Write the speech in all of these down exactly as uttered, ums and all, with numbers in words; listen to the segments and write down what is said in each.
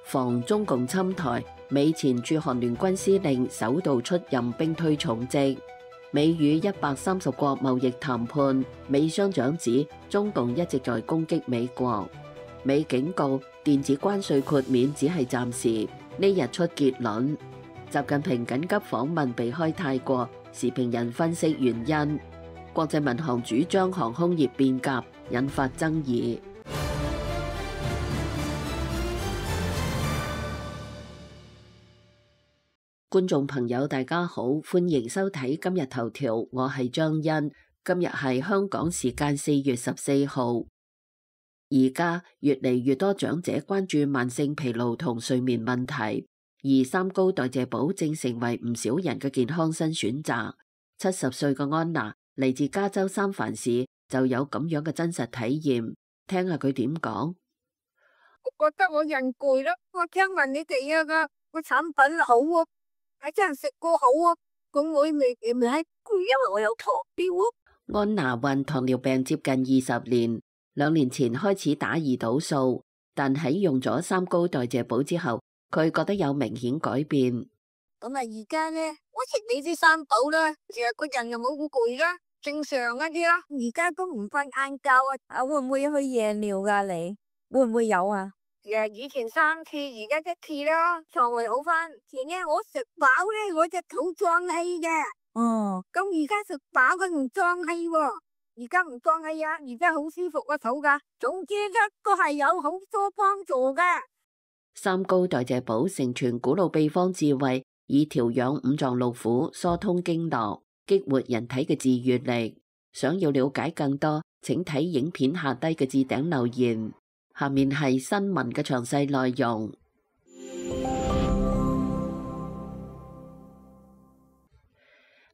防中共侵台，美前駐韓聯軍司令首度出任兵推重職。美與一百三十國貿易談判，美商長指中共一直在攻擊美國。美警告電子關稅豁免只係暫時，呢日出結論。習近平緊急訪問避開泰國，時評人分析原因。國際民航主張航空業變革，引發爭議。觀眾朋友大家好，歡迎收睇今日頭條，我係張欣。今日係香港時間四月十四號。而家越嚟越多長者關注慢性疲勞同睡眠問題，而三高代謝寶正成為唔少人嘅健康新選擇。七十歲嘅安娜嚟自加州三藩市，就有咁樣嘅真實體驗，聽下佢點講。我覺得我人攰啦，我聽聞你哋啊個個產品好啊，係真係食過好啊，咁我未未係攰，因為我有糖尿啊。安娜患糖尿病接近二十年，兩年前開始打胰島素，但喺用咗三高代謝寶之後，佢覺得有明顯改變。咁啊，而家咧，我食你啲三寶啦，成日個人又冇咁攰啦，正常一啲啦。而家都唔瞓晏覺啊，啊會唔會去夜尿噶？你會唔會有啊？誒，以前三次，而家一次啦，腸胃好翻。前日我食飽咧，我隻肚脹氣嘅。哦，咁而家食飽佢唔脹氣喎，而家唔脹氣啊，而家好舒服個肚噶。總之一個係有好多幫助嘅。三高代謝寶承傳古老秘方智慧，以調養五臟六腑、疏通經絡、激活人體嘅自愈力。想要了解更多，請睇影片下低嘅置頂留言。下面係新聞嘅詳細內容。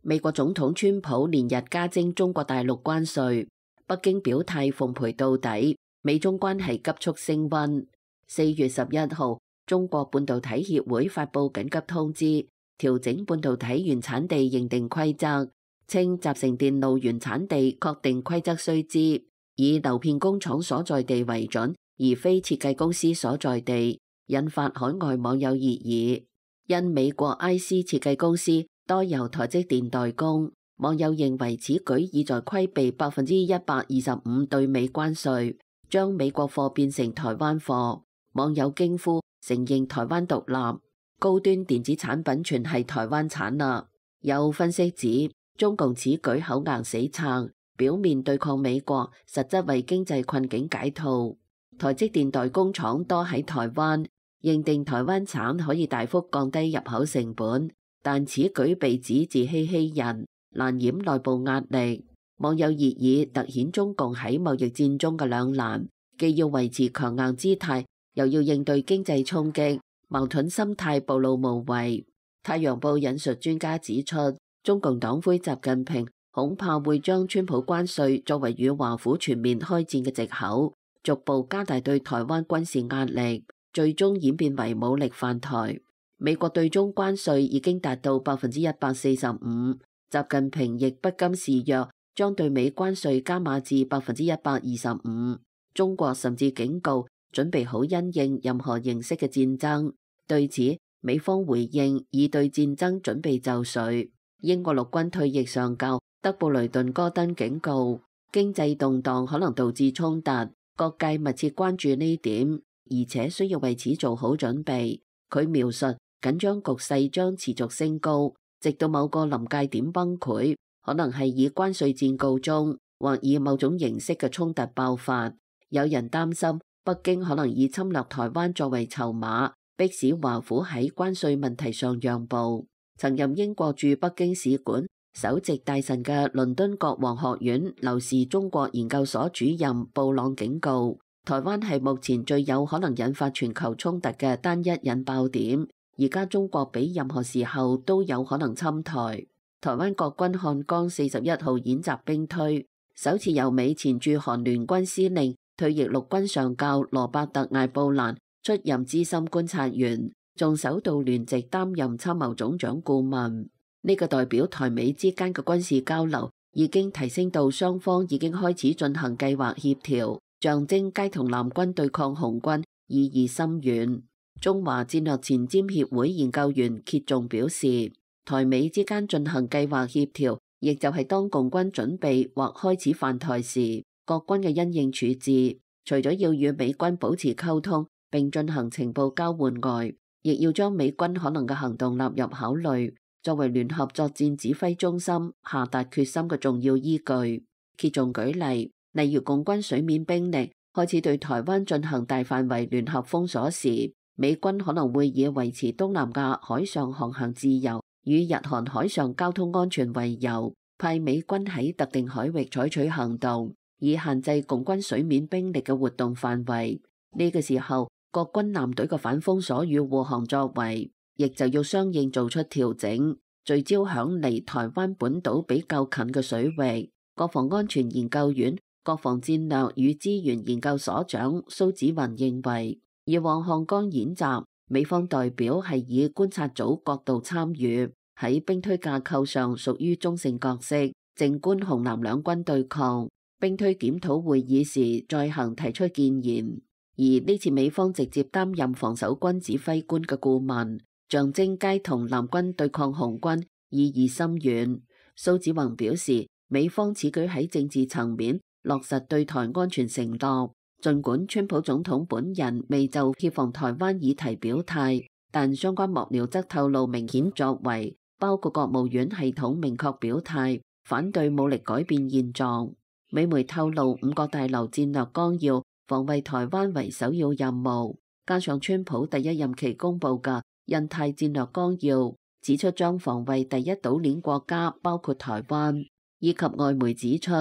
美國總統川普連日加徵中國大陸關稅，北京表態奉陪到底，美中關係急速升溫。四月十一號，中國半導體協會發布緊急通知，調整半導體原產地認定規則，稱集成電路原產地確定規則須知，以流片工廠所在地為準，而非設計公司所在地，引發海外網友熱議。因美國 I C 設計公司多由台積電代工，網友認為此舉意在規避百分之一百二十五對美關稅，將美國貨變成台灣貨。網友驚呼承認台灣獨立，高端電子產品全係台灣產啦。有分析指，中共此舉口硬死撐，表面對抗美國，實質為經濟困境解套。台積電代工廠多喺台灣，認定台灣產可以大幅降低入口成本，但此舉被指自欺欺人，難掩內部壓力。網友熱議凸顯中共喺貿易戰中嘅兩難，既要維持強硬姿態，又要應對經濟衝擊，矛盾心態暴露無遺。太陽報引述專家指出，中共黨魁習近平恐怕會將川普關稅作為與華府全面開戰嘅藉口，逐步加大對台灣軍事壓力，最終演變為武力犯台。美國對中關稅已經達到百分之一百四十五，習近平亦不甘示弱，將對美關稅加碼至百分之一百二十五。中國甚至警告準備好因應任何形式嘅戰爭。對此，美方回應已對戰爭準備就緒。英國陸軍退役上校德布雷頓戈登警告，經濟動盪可能導致衝突，各界密切關注呢點，而且需要為此做好準備。佢描述緊張局勢將持續升高，直到某個臨界點崩潰，可能係以關稅戰告終，或以某種形式嘅衝突爆發。有人擔心北京可能以侵略台灣作為籌碼，迫使華府喺關稅問題上讓步。曾任英國駐北京使館首席大臣嘅倫敦國王學院劉氏中國研究所主任布朗警告，台灣係目前最有可能引發全球衝突嘅單一引爆點。而家中國比任何時候都有可能侵台。台灣國軍漢江四十一號演習兵推，首次由美前駐韓聯軍司令退役陸軍上校羅伯特艾布蘭出任資深觀察員，仲首度聯席擔任參謀總長顧問。呢個代表台美之間嘅軍事交流已經提升到雙方已經開始進行計劃協調，象徵偕同南軍對抗紅軍意義深遠。中華戰略前瞻協會研究員歇仲表示，台美之間進行計劃協調，亦就係當共軍準備或開始犯台時，各軍嘅因應處置，除咗要與美軍保持溝通並進行情報交換外，亦要將美軍可能嘅行動納入考慮，作為聯合作戰指揮中心下達決心嘅重要依據。歇仲舉例，例如共軍水面兵力開始對台灣進行大範圍聯合封鎖時，美軍可能會以維持東南亞海上航行自由與日韓海上交通安全為由，派美軍喺特定海域採取行動，以限制共軍水面兵力嘅活動範圍。呢個時候，各軍艦隊嘅反封鎖與護航作為，亦就要相應做出調整，聚焦響離台灣本島比較近嘅水域。國防安全研究院國防戰略與資源研究所長蘇紫雲認為，以往漢江演習，美方代表係以觀察組角度參與，喺兵推架構上屬於中性角色，靜觀紅藍兩軍對抗。兵推檢討會議時再行提出建言。而呢次美方直接擔任防守軍指揮官嘅顧問，象徵皆同藍軍對抗紅軍意義深遠。蘇紫雲表示，美方此舉喺政治層面落實對台安全承諾，儘管川普總統本人未就協防台灣議題表態，但相關幕僚則透露明顯作為，包括國務院系統明確表態反對武力改變現狀。美媒透露五角大樓戰略綱要防衛台灣為首要任務，加上川普第一任期公布嘅印太戰略綱要，指出將防衛第一島鏈國家包括台灣，以及外媒指出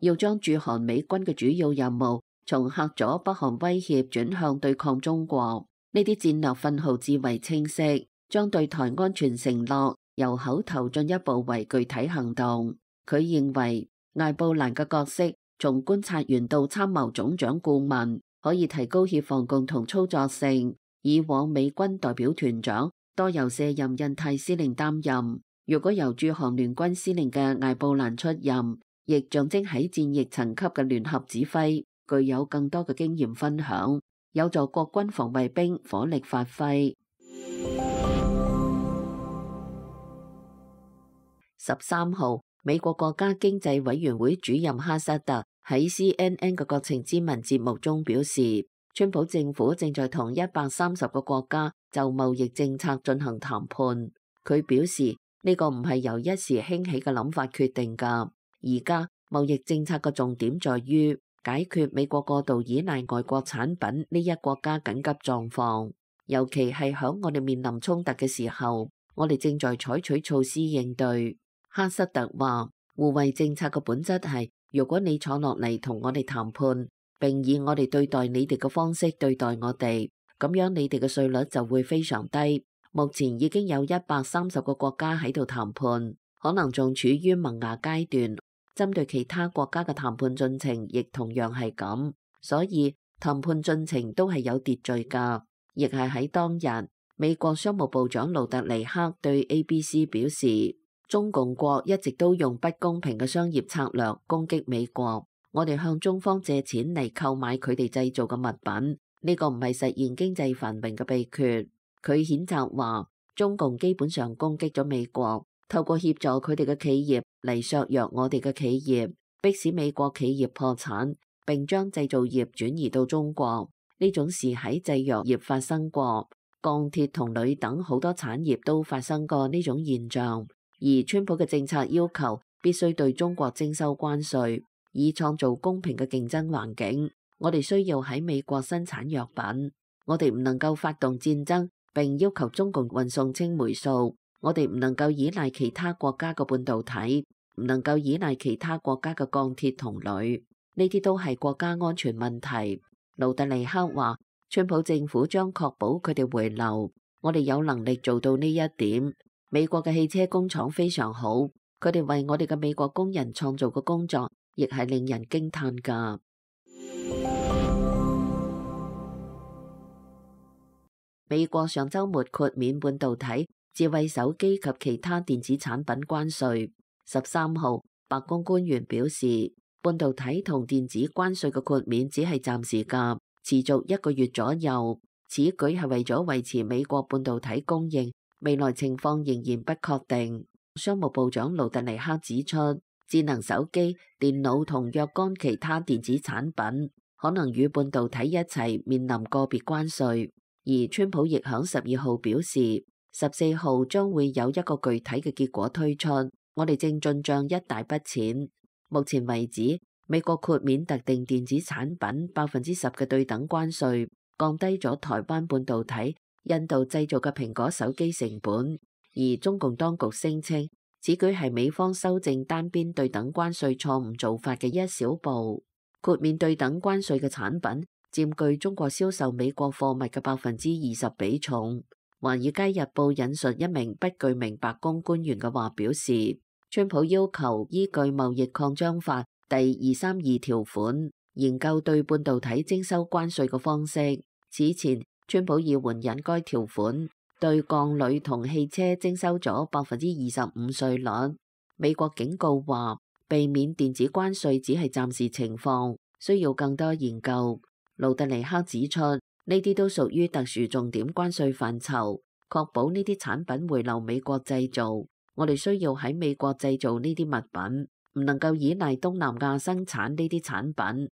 要將駐韓美軍嘅主要任務從嚇阻北韓威脅轉向對抗中國。呢啲戰略信號至為清晰，將對台安全承諾由口頭進一步為具體行動。佢認為艾布蘭嘅角色從觀察員到參謀總長顧問，可以提高協防共同操作性。以往美軍代表團長多由卸任印太司令擔任，如果由駐韓聯軍司令嘅艾布蘭出任，亦象徵喺戰役層級嘅聯合指揮具有更多嘅經驗分享，有助國軍防衛兵火力發揮。十三號，美國國家經濟委員會主任哈薩特喺 C N N 嘅國情咨文節目中表示，川普政府正在同一百三十個國家就貿易政策進行談判。佢表示呢個唔係由一時興起嘅諗法決定㗎，而家貿易政策嘅重點在於解決美國過度依賴外國產品呢一國家緊急狀況，尤其係響我哋面臨衝突嘅時候，我哋正在採取措施應對。哈瑟特話，互惠政策嘅本質係，如果你坐落嚟同我哋談判，並以我哋對待你哋嘅方式對待我哋，咁樣你哋嘅稅率就會非常低。目前已經有一百三十個國家喺度談判，可能仲處於萌芽階段。針對其他國家嘅談判進程亦同樣係咁，所以談判進程都係有秩序㗎。亦係喺當日，美國商務部長盧特尼克對 A B C 表示，中共國一直都用不公平嘅商業策略攻擊美國，我哋向中方借錢嚟購買佢哋製造嘅物品，呢個唔係實現經濟繁榮嘅秘訣。佢譴責話，中共基本上攻擊咗美國，透過協助佢哋嘅企業嚟削弱我哋嘅企業，迫使美國企業破產，並將製造業轉移到中國。呢種事喺製藥業發生過，鋼鐵同鋁等好多產業都發生過呢種現象。而川普嘅政策要求必須對中國徵收關稅，以創造公平嘅競爭環境。我哋需要喺美國生產藥品，我哋唔能夠發動戰爭並要求中共運送青霉素。我哋唔能夠依賴其他國家嘅半導體，唔能夠依賴其他國家嘅鋼鐵同鋁，呢啲都係國家安全問題。盧特尼克話，川普政府將確保佢哋回流，我哋有能力做到呢一點。美國嘅汽車工廠非常好，佢哋為我哋嘅美國工人創造嘅工作，亦係令人驚嘆㗎。美國上週末豁免半導體、智慧手機及其他電子產品關稅。十三號，白宮官員表示，半導體同電子關稅嘅豁免只係暫時㗎，持續一個月左右。此舉係為咗維持美國半導體供應，未來情況仍然不確定。商務部長盧特尼克指出，智能手機、電腦同若干其他電子產品可能與半導體一齊面臨個別關稅。而川普亦響十二號表示，十四號將會有一個具體嘅結果推出，我哋正進帳一大筆錢。目前為止，美國豁免特定電子產品百分之十嘅對等關稅，降低咗台灣半導體、印度製造嘅蘋果手機成本。而中共當局聲稱，此舉係美方修正單邊對等關稅錯誤做法嘅一小步。豁免對等關稅嘅產品佔據中國銷售美國貨物嘅百分之二十比重。《華爾街日報》引述一名不具名白宮官員嘅話表示，川普要求依據貿易擴張法第二三二條款研究對半導體徵收關稅嘅方式。此前，川普已援引該條款，對鋼鋁同汽車徵收咗百分之二十五稅率。美國警告話，避免電子關稅只係暫時情況，需要更多研究。盧特尼克指出，呢啲都屬於特殊重點關稅範疇，確保呢啲產品回流美國製造。我哋需要喺美國製造呢啲物品，唔能夠依賴東南亞生產呢啲產品。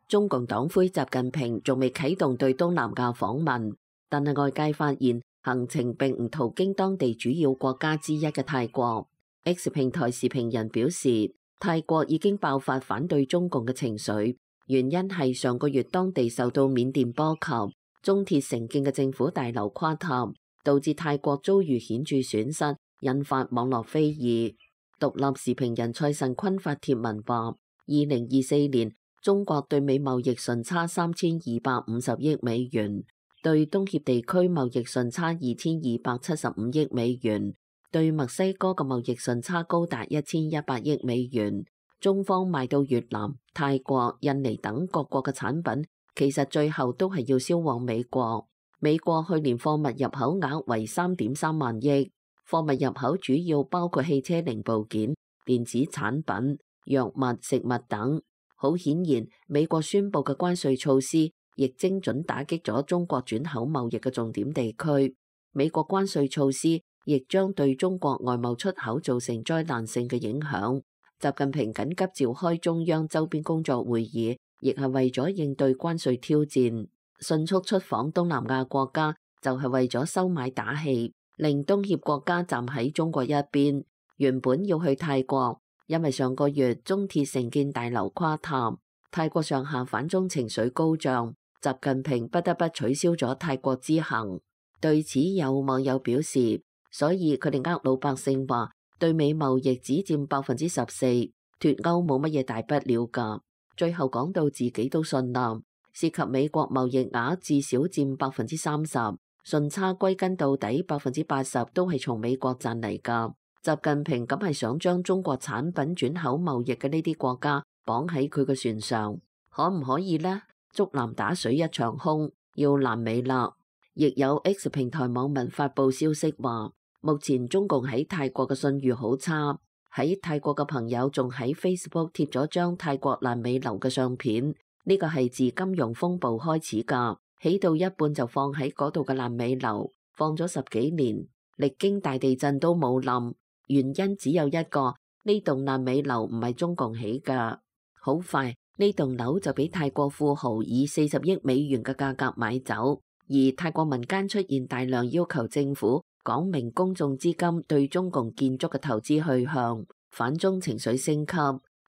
中共黨魁習近平仲未啟動對東南亞訪問，但係外界發現行程並唔途經當地主要國家之一嘅泰國。X 平台視頻人表示，泰國已經爆發反對中共嘅情緒，原因係上個月當地受到緬甸波及，中鐵承建嘅政府大樓垮塌，導致泰國遭遇顯著損失，引發網絡非議。獨立時評人蔡慎坤發帖文話，二零二四年中國對美貿易順差三千二百五十億美元，對東協地區貿易順差二千二百七十五億美元，對墨西哥嘅貿易順差高達一千一百億美元。中方賣到越南、泰國、印尼等各國嘅產品，其實最後都係要銷往美國。美國去年貨物入口額為三點三萬億，貨物入口主要包括汽車零部件、電子產品、藥物、食物等。好顯然，美國宣布嘅關稅措施亦精準打擊咗中國轉口貿易嘅重點地區。美國關稅措施亦將對中國外貿出口造成災難性嘅影響。習近平緊急召開中央周邊工作會議，亦係為咗應對關稅挑戰。迅速出訪東南亞國家，就係為咗收買打氣，令東協國家站喺中國一邊。原本要去泰國，因為上個月中鐵承建大樓垮塌，泰國上下反中情緒高漲，習近平不得不取消咗泰國之行。對此有網友表示，所以佢哋呃老百姓話對美貿易只佔百分之十四，脫歐冇乜嘢大不了㗎。最後講到自己都信啦，涉及美國貿易額至少佔百分之三十，順差歸根到底百分之八十都係從美國賺嚟㗎。習近平咁係想將中國產品轉口貿易嘅呢啲國家綁喺佢嘅船上，可唔可以呢？竹籃打水一場空，要爛尾啦！亦有 X 平台網民發佈消息話，目前中共喺泰國嘅信譽好差，喺泰國嘅朋友仲喺 Facebook 貼咗張泰國爛尾樓嘅相片，呢個係自金融風暴開始㗎，起到一半就放喺嗰度嘅爛尾樓，放咗十幾年，歷經大地震都冇冧。原因只有一個，呢棟爛尾樓唔係中共起㗎。好快呢棟樓就俾泰國富豪以四十億美元嘅價格買走，而泰國民間出現大量要求政府講明公眾資金對中共建築嘅投資去向，反中情緒升級。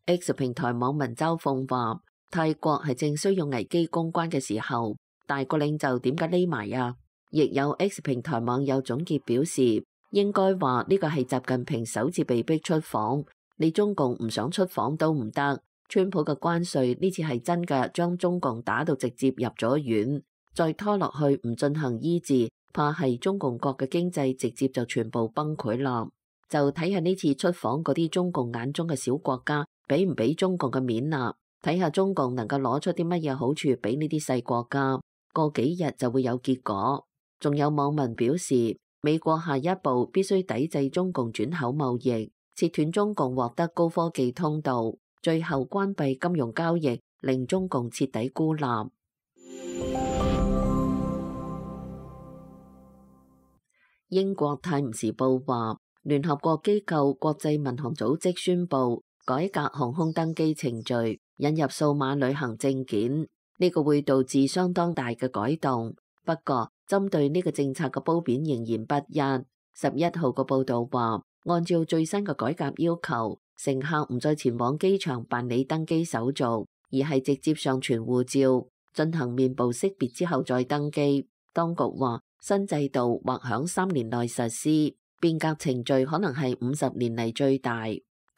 X 平台網民周鳳話，泰國係正需要危機公關嘅時候，大國領袖點解匿埋啊？亦有 X 平台網友總結表示，應該話呢個係習近平首次被逼出訪，你中共唔想出訪都唔得。川普嘅關稅呢次係真嘅，將中共打到直接入咗院，再拖落去唔進行醫治，怕係中共國嘅經濟直接就全部崩潰啦。就睇下呢次出訪嗰啲中共眼中嘅小國家，俾唔俾中共嘅面啦？睇下中共能夠攞出啲乜嘢好處俾呢啲細國家，過幾日就會有結果。仲有網民表示，美國下一步必須抵制中共轉口貿易，切斷中共獲得高科技通道，最後關閉金融交易，令中共徹底孤立。英國《泰晤士報》話，聯合國機構國際民航組織宣布改革航空登機程序，引入數碼旅行證件。呢個會導致相當大嘅改動。不過，針對呢個政策嘅褒貶仍然不一。十一號嘅報導話，按照最新嘅改革要求，乘客唔再前往機場辦理登機手續，而係直接上傳護照，進行面部識別之後再登機。當局話，新制度或響三年內實施，變革程序可能係五十年嚟最大。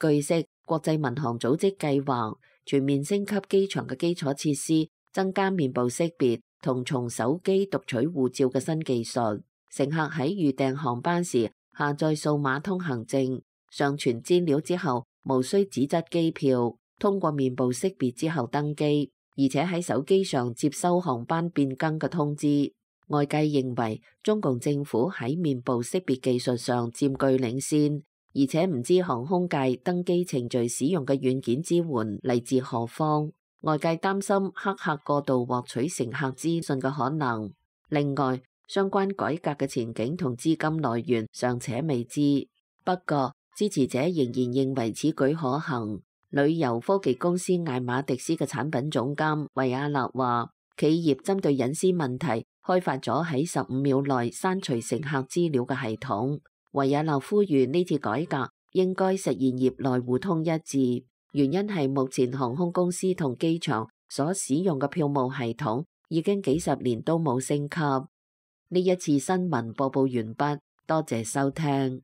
據悉，國際民航組織計劃全面升級機場嘅基礎設施，增加面部識別同從手機讀取護照嘅新技術。乘客喺預訂航班時下載數碼通行證，上傳資料之後，無需紙質機票，通過面部識別之後登機，而且喺手機上接收航班變更嘅通知。外界認為中共政府喺面部識別技術上佔據領先，而且唔知航空界登機程序使用嘅軟件支援嚟自何方。外界擔心黑客過度獲取乘客資訊嘅可能。另外，相關改革嘅前景同資金來源尚且未知。不過，支持者仍然認為此舉可行。旅遊科技公司艾馬迪斯嘅產品總監維亞納話，企業針對隱私問題開發咗喺十五秒內刪除乘客資料嘅系統。維亞納呼籲呢次改革應該實現業內互通一致，原因係目前航空公司同機場所使用嘅票務系統已經幾十年都冇升級。呢一次新聞播報完畢，多謝收聽。